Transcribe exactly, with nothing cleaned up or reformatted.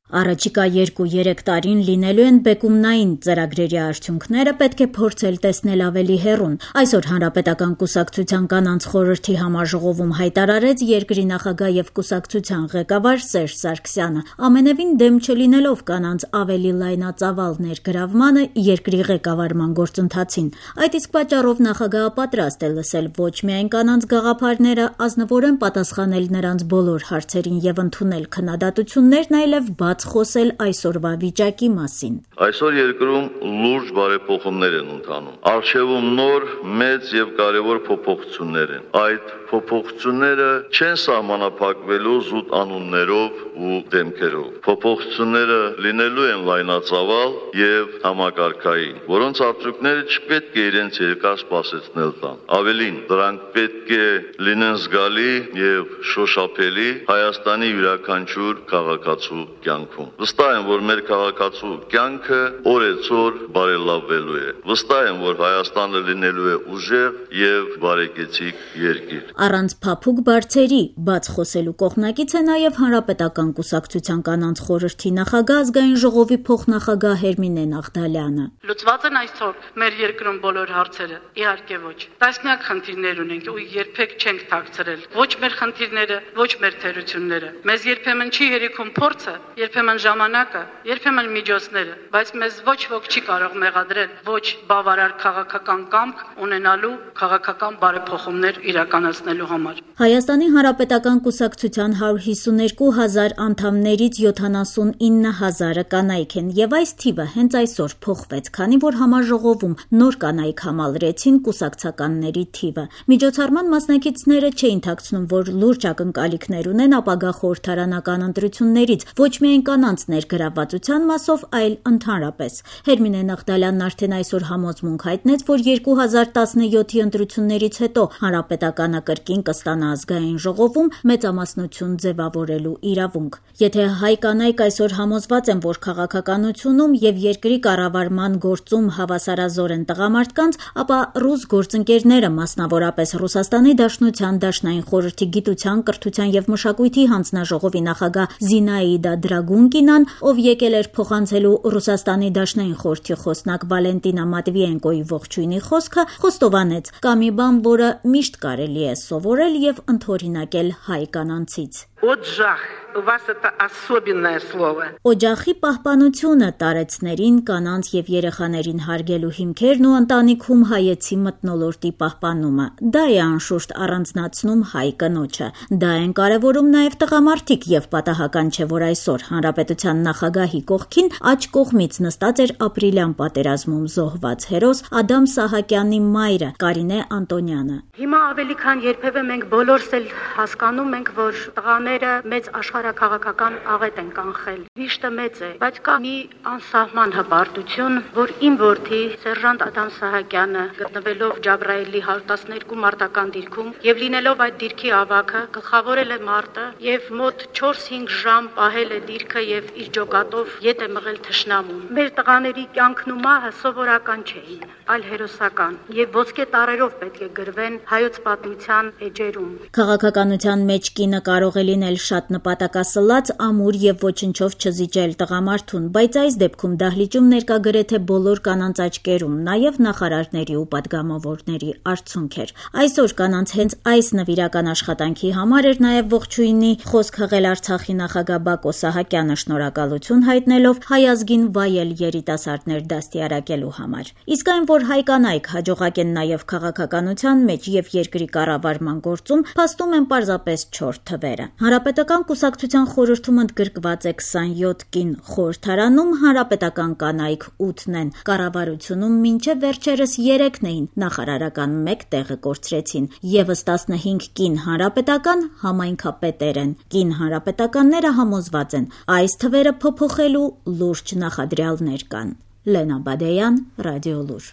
Առաջիկա երկու-երեք տարին լինելու են բեկումնային ծրագրերի արդյունքները, պետք է փորձել տեսնել ավելի հեռուն։ Այսօր Հանրապետական կուսակցության կանանց խորհրդի համաժողովում հայտարարեց երկրի նախագահ եւ կուսակցության ղեկավար Սերժ Սարգսյանը, ամենևին դեմ չլինելով կանանց ավելի լայնածավալ ներգրավմանը երկրի ղեկավարման գործընթացին։ Այդ իսկ պատճառով նախագահը պատրաստ է լսել ոչ միայն կանանց գաղափարները, ազնվորեն պատասխանել նրանց բոլոր հարցերին եւ ընդունել քննադատություններն, այլև խոսել այսօրվա վիճակի մասին։ Այսօր երկրում լուրջ բարեփոխումներ են ընթանում։ Արժևում նոր, մեծ եւ կարեւոր փոփոխություններ են։ Այդ փոփոխությունները չեն սահմանափակվելու զուտ անուններով ու դեմքերով։ Փոփոխությունները լինելու են լայնածավալ եւ համակարգային, որոնց արդյունքները չպետք է իրենց երկար սպասեցնել տան։ Ավելին, դրանք պետք է լինեն զգալի եւ շոշափելի Հայաստանի յուրաքանչյուր քաղաքացու կյանքում։ Վստահ եմ, որ մեր քաղաքացու կյանքը օրեցօր բարելավվելու է։ Վստահ եմ, որ Հայաստանը լինելու է ուժեղ եւ բարեկեցիկ երկիր։ Առանց փափուկ բարձերի բաց խոսելու կողմնակից է նաեւ Հանրապետական կուսակցության կանանց խորհրդի նախագահ, ազգային ժողովի փոխնախագահ Հերմինե Նաղդալյանը։ Լուծված են այսօր մեր երկրում բոլոր հարցերը։ Իհարկե ոչ։ Տասնյակ խնդիրներ ունենք ու երբեք չենք թաքցրել։ Ոչ մեր խնդիրները, ոչ մեր թերությունները։ Մեզ երբեմն չի հերիքում փորձը, երբեմն ժամանակը, երբեմն միջոցները, բայց մեզ ոչ ոք չի կարող մեղադրել ոչ բավարար քաղաքական կամք ունենալու, քաղաքական բարեփոխումներ իրականացնելու համար։ Հայաստանի Հանրապետական կուսակցության հարյուր հիսուներկու հազար անդամներից յոթանասունինը հազարը կանայք են եւ այս թիվը հենց այսօր փոխվեց, քանի որ համաժողովում նոր կանայք համալրեցին կուսակցականների թիվը։ Միջոցառման մասնակիցները չէին թաքցնում, որ լուրջ ակնկալիքներ ունեն ապագա խորհրդարանական ընտրություններից, ոչ միայն կանանց ներգրավվածության մասով, այլ ընդհանրապես։ Հերմինե Նաղդալյանն արդեն այսօր համոզմունք հայտնեց, որ երկու հազար տասնյոթի ընտրություններից հետո Հանրապետականը կրկին կստանա ազգային ժողովում մեծամասնություն ձևավորելու իրավունք։ Եթե հայ կանայք այսօր համոզված են, որ քաղաքականությունում եւ երկրի կառավարման գործում հավասարազոր են տղամարդկանց, ապա ռուս գործընկերները, մասնավորապես Ռուսաստանի Դաշնության Դաշնային խորհրդի գիտության, կրթության եւ մշակույթի հանձնաժողովի նախագահ Զինաիդա Դրագունկինան, ով եկել էր փոխանցելու Ռուսաստանի Դաշնային խորհրդի խոսնակ Վալենտինա Մատվիենկոյի ողջույնի խոսքը, խոստովանեց՝ կա մի բան, որը միշտ կարելի է սովորել եւ ընդօրինակել հայ կանանցից։ Օջախ, у вас это особенное слово։ Օջախի պահպանությունը, տարեցներին, կանանց եւ երեխաներին հարգելու հիմքերն ու ընտանիքում հայեցի մթնոլորտի պահպանումը։ Դա է անշուշտ առանձնացնում հայ կնոջը։ Դա են կարևորում նաեւ տղամարդիկ եւ պատահական չէ, որ այսօր Հանրապետության նախագահի կողքին աջ կողմից նստած էր ապրիլյան պատերազմում զոհված հերոս Ադամ Սահակյանի մայրը Կարինե Անտոնյանը։ Հիմա ավելի քան երբևէ մենք բոլորս էլ հասկանում ենք, որ տղաները մեծ աշխարհաքաղաքական աղետ են կանխել։ Վիշտը մեծ է, բայց կա մի անսահման հպարտություն, որ իմ որդի Սերժանտ Ադամ Սահակյանը, գտնվելով Ջաբրայելի հարյուր տասներկու մարտական դիրքում եւ լինելով այդ դիրքի ավագը, գլխավորել է մարտը եւ մոտ չորս-հինգ ժամ պահել է դիրքը եւ իր ջոկատով ետ է մղել թշնամուն։ Մեր տղաների կյանքն ու մահը սովորական չէին, այլ հերոսական եւ ոսկե տարերով պետք է գրվեն հայոց պատմության էջերում։ Քաղաքականության մեջ կինը կարող է լինել շատ նպատակասլաց, ամուր եւ ոչնչով չզիջել տղամարդուն, բայց այս դեպքում դահլիճում ներկա գրեթե բոլոր կանանց աչքերում, նաեւ նախարարների ու պատգամավորների արցունք էր։ Այսօր կանանց հենց այս նվիրական աշխատանքի համար էր նաեւ ողջույնի խոսք հղել Արցախի նախագահ Բակո Սահակյանը, շնորհակալություն հայտնելով հայ ազգին վայել երիտասարդներ դաստիարակելու համար։ Իսկ այն, որ հայ կանայք հաջողակ են նաեւ քաղաքականության մեջ եւ երկրի կառավարման գործում, փաստում են պարզապես չորս թվերը։ Հանրապետական կուսակցության խորհրդում ընդգրկված է քսանյոթ կին, խորհրդարանում հանրապետական կանայք ութն են, կառավարությունում մինչև վերջերս երեքն էին, նախարարական մեկ տեղը կորցրեցին, եւս տասնհինգ կին հանրապետական համայնքապետեր են։ Կին հանրապետականները համոզված են, այս թվերը փոփոխելու լուրջ նախադրյալներ կան։ Լենա Բադեյան, Ռադիոլուր։